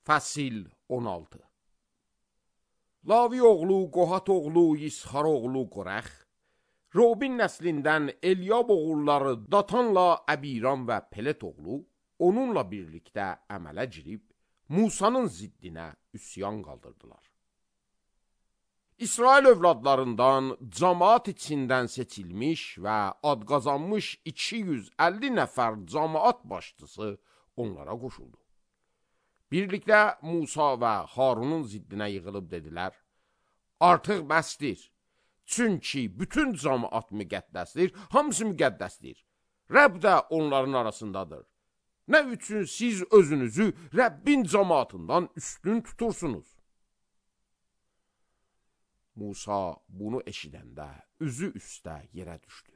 Fəsil 16. Lavi oğlu, Qohat oğlu, İsxar oğlu Qorəx, Robin nəslindən Elyab oğulları Datanla Əbiram və Pelet oğlu onunla birlikdə əmələ girib, Musanın ziddinə üsyan qaldırdılar. İsrail övladlarından camaat içindən seçilmiş və ad qazanmış 250 nəfər camaat başçısı onlara qoşuldu. Birlikdə Musa və Harunun ziddinə yığılıb dedilər, artıq bəsdir, çünki bütün camaat müqəddəsdir, hamısı müqəddəsdir, Rəbb də onların arasındadır. Nə üçün siz özünüzü Rəbbin camaatından üstün tutursunuz? Musa bunu eşidəndə üzü üstə yerə düşdü.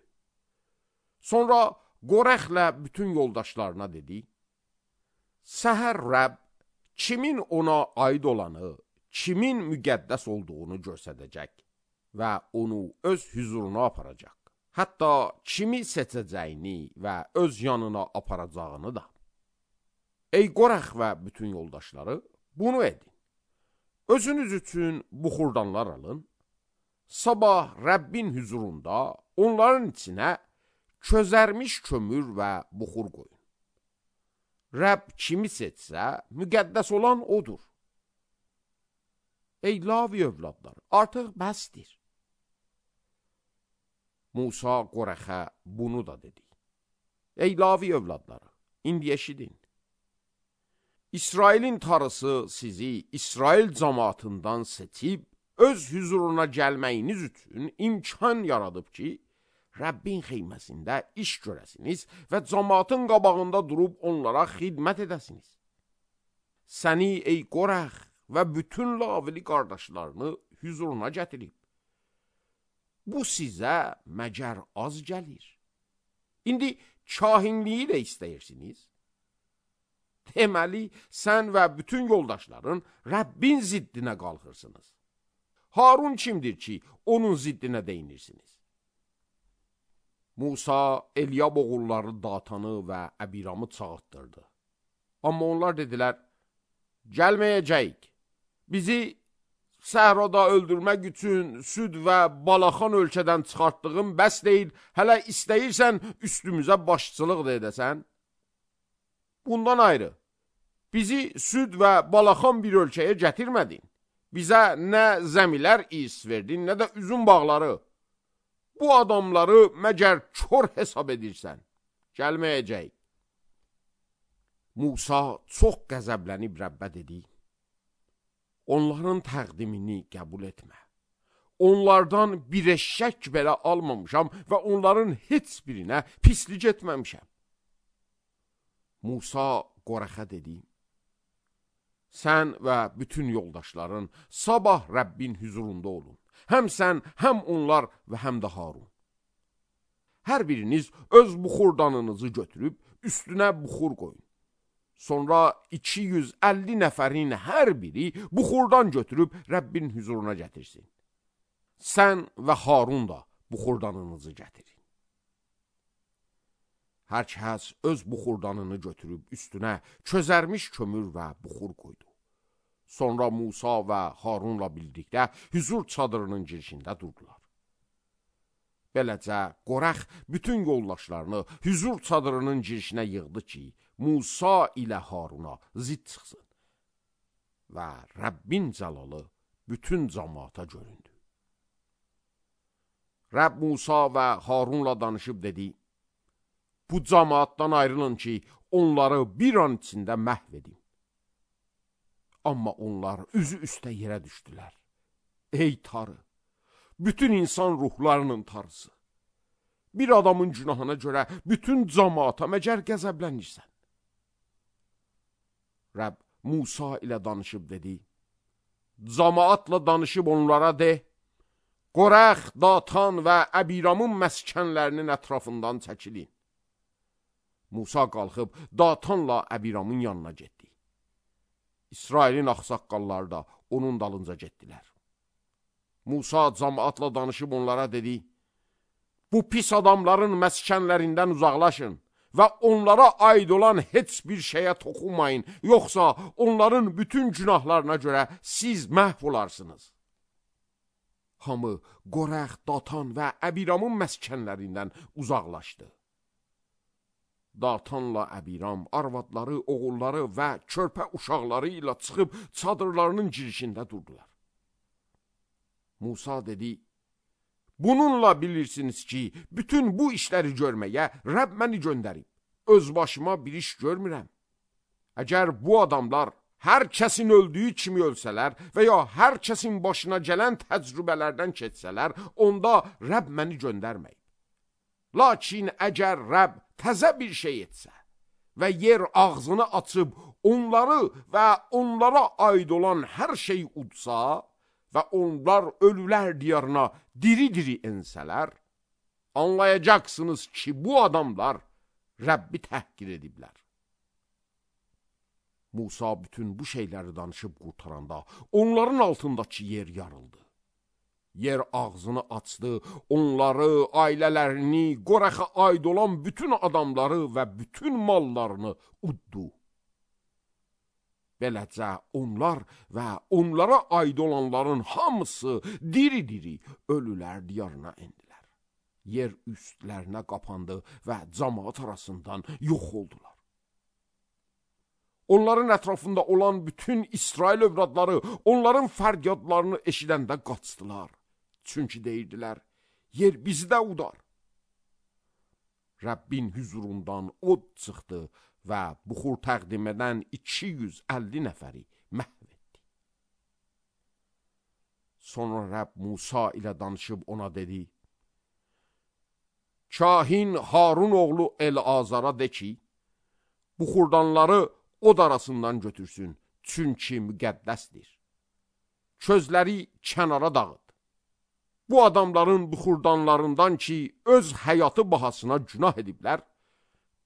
Sonra Qorəxlə bütün yoldaşlarına dedi, səhər Rəbb kimin ona aid olanı, kimin müqəddəs olduğunu göstərəcək və onu öz hüzuruna aparacaq. Hətta kimi seçəcəyini və öz yanına aparacağını da. Ey Qorəx və bütün yoldaşları, bunu edin. Özünüz üçün buxurdanlar alın. Sabah Rəbbin hüzurunda onların içinə közərmiş kömür və buxur qoyun. Rəbb kimi seçsə, müqəddəs olan odur. Ey Lavi övladları, artıq bəsdir. Musa Qorəxə bunu da dedi. Ey Lavi övladları, indi eşidin. İsrailin tarısı sizi İsrail camaatından seçib, öz hüzuruna gəlməyiniz üçün imkan yaradıb ki, Rəbbin xeyməsində iş görəsiniz və camaatın qabağında durub onlara xidmət edəsiniz. Səni ey Qorəx və bütün Lavili qardaşlarını hüzuruna gətirib. Bu sizə məgər az gəlir. İndi kahinliyi də istəyirsiniz. Deməli, sən və bütün yoldaşların Rəbbin ziddinə qalxırsınız. Harun kimdir ki, onun ziddinə deyinirsiniz? Musa, Elyab oğulları Datanı və Əbiramı çağırtdırdı. Amma onlar dedilər, gəlməyəcəyik. Bizi səhrada öldürmək üçün süd və balaxan ölkədən çıxartdığın bəs deyil, hələ istəyirsən üstümüzə başçılıq da edəsən. Bundan ayrı, bizi süd və balaxan bir ölkəyə gətirmədin. Bizə nə zəmilər is verdin, nə də üzüm bağları. Bu adamları məgər kör hesab edirsən? Gəlməyəcək. Musa çox qəzəblənib Rəbbə dedi, onların təqdimini qəbul etmə. Onlardan bir eşşək belə almamışam və onların heç birinə pislik etməmişəm. Musa Qorəxə dedi, sən və bütün yoldaşların sabah Rəbbin hüzurunda olun. Həm sən, həm onlar və həm də Harun. Hər biriniz öz buxurdanınızı götürüb üstünə buxur qoyun. Sonra 250 nəfərin hər biri buxurdan götürüb Rəbbin hüzuruna gətirsin. Sən və Harun da buxurdanınızı gətirin. Hər kəs öz buxurdanını götürüb üstünə közərmiş kömür və buxur qoydu. Sonra Musa və Harunla birlikdə hüzur çadırının girişində durdular. Beləcə, Qorəx bütün yoldaşlarını hüzur çadırının girişinə yığdı ki, Musa ilə Haruna zidd çıxsın. Və Rəbbin cəlalı bütün camaata göründü. Rəbb Musa və Harunla danışıb dedi, bu camaatdan ayrılın ki, onları bir an içində məhv edin. Amma onlar üzü üstə yerə düşdülər. Ey tarı, bütün insan ruhlarının tarısı, bir adamın günahına görə bütün camaata məgər qəzəblənirsən? Rəbb Musa ilə danışıb dedi, camaatla danışıb onlara de, Qorəx, Datan və Əbiramın məskənlərinin ətrafından çəkilin. Musa qalxıb Datanla Əbiramın yanına getdi. İsrailin ağsaqqalları da onun dalınca getdilər. Musa camaatla danışıb onlara dedi, bu pis adamların məskənlərindən uzaqlaşın və onlara aid olan heç bir şeyə toxunmayın, yoxsa onların bütün günahlarına görə siz məhv olarsınız. Hamı Qorəx, Datan və Əbiramın məskənlərindən uzaqlaşdı. Datanla Əbiram arvadları, oğulları və körpə uşaqları ilə çıxıb çadırlarının girişində durdular. Musa dedi, bununla bilirsiniz ki, bütün bu işləri görməyə Rəbb məni göndərib. Öz başıma bir iş görmürəm. Əgər bu adamlar hər kəsin öldüyü kimi ölsələr və ya hər kəsin başına gələn təcrübələrdən keçsələr, onda Rəbb məni göndərməyib. Lakin əgər Rəbb təzə bir şey etsə və yer ağzını açıb onları və onlara aid olan hər şeyi udsa və onlar ölülər diyarına diri-diri ensələr, anlayacaqsınız ki, bu adamlar Rəbbi təhqir ediblər. Musa bütün bu şeyləri danışıb qurtaranda onların altındakı yer yarıldı. Yer ağzını açdı, onları, ailələrini, Qorəxə aid olan bütün adamları və bütün mallarını uddu. Beləcə onlar və onlara aid olanların hamısı diri-diri ölülər diyarına endilər. Yer üstlərinə qapandı və cəmaat arasından yox oldular. Onların ətrafında olan bütün İsrail övladları onların fəryadlarını eşidəndə qaçdılar. Çünki deyirdilər, yer bizi də udar. Rəbbin hüzurundan od çıxdı və buxur təqdim edən 250 nəfəri məhv etdi. Sonra Rəbb Musa ilə danışıb ona dedi, Kahin Harun oğlu El-Azara de ki, buxurdanları od arasından götürsün, çünki müqəddəsdir. Közləri kənara dağıt. Bu adamların buxurdanlarından ki, öz həyatı bahasına günah ediblər,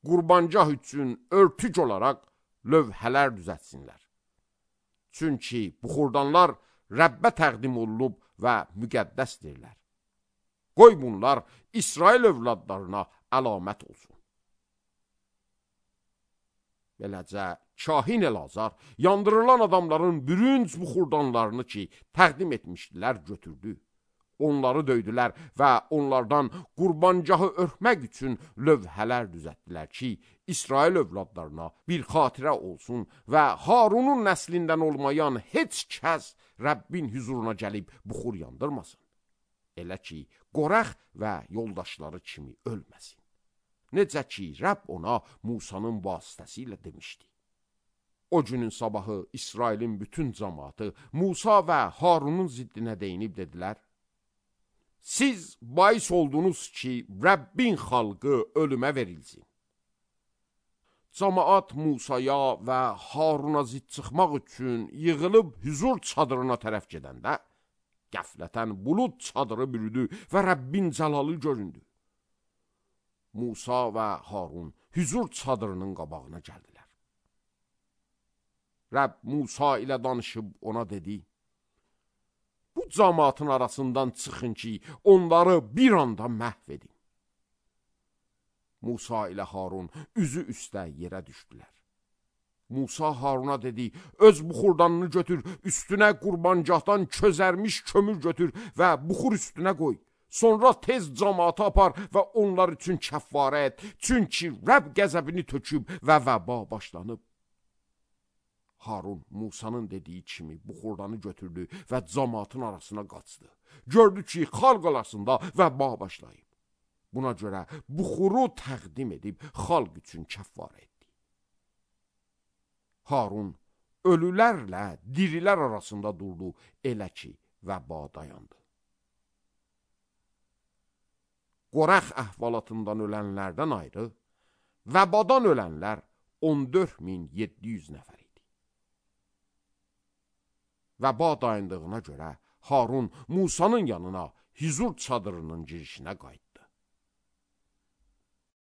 qurbancaq üçün örtük olaraq lövhələr düzətsinlər. Çünki buxurdanlar Rəbbə təqdim olunub və müqəddəsdirlər. Qoy bunlar İsrail övladlarına əlamət olsun. Beləcə, Kahin El-Azar yandırılan adamların bürünc buxurdanlarını ki, təqdim etmişdilər, götürdü. Onları döydülər və onlardan qurbancahı örtmək üçün lövhələr düzətdilər ki, İsrail övladlarına bir xatirə olsun və Harunun nəslindən olmayan heç kəs Rəbbin huzuruna gəlib buxur yandırmasın. Elə ki, Qorəx və yoldaşları kimi ölməsin. Necə ki, Rəbb ona Musanın vasitəsilə demişdi. O günün sabahı İsrailin bütün cəmaatı Musa və Harunun ziddinə deyinib dedilər, siz bais oldunuz ki, Rəbbin xalqı ölümə verilsin. Cəmaat Musaya və Haruna zidd çıxmaq üçün yığılıb hüzur çadırına tərəf gedəndə, qəflətən bulud çadırı bürüdü və Rəbbin cəlalı göründü. Musa və Harun hüzur çadırının qabağına gəldilər. Rəbb Musa ilə danışıb ona dedi, bu cəmaatın arasından çıxın ki, onları bir anda məhv edin. Musa ilə Harun üzü üstə yerə düşdülər. Musa Haruna dedi, öz buxurdanını götür, üstünə qurbancaqdan közərmiş kömür götür və buxur üstünə qoy. Sonra tez cəmaatı apar və onlar üçün kəffarə et, çünki Rəbb qəzəbini töküb və vəba başlanıb. Harun Musanın dediyi kimi buxurdanı götürdü və cəmaatın arasına qaçdı. Gördü ki, xalq arasında vəba başlayıb. Buna görə buxuru təqdim edib xalq üçün kəffarə etdi. Harun ölülərlə dirilər arasında durdu, elə ki, vəba dayandı. Qorəx əhvalatından ölənlərdən ayrı, vəbadan ölənlər 14.700 nəfər idi. Vəba dayandığına görə Harun Musanın yanına hüzur çadırının girişinə qayıtdı.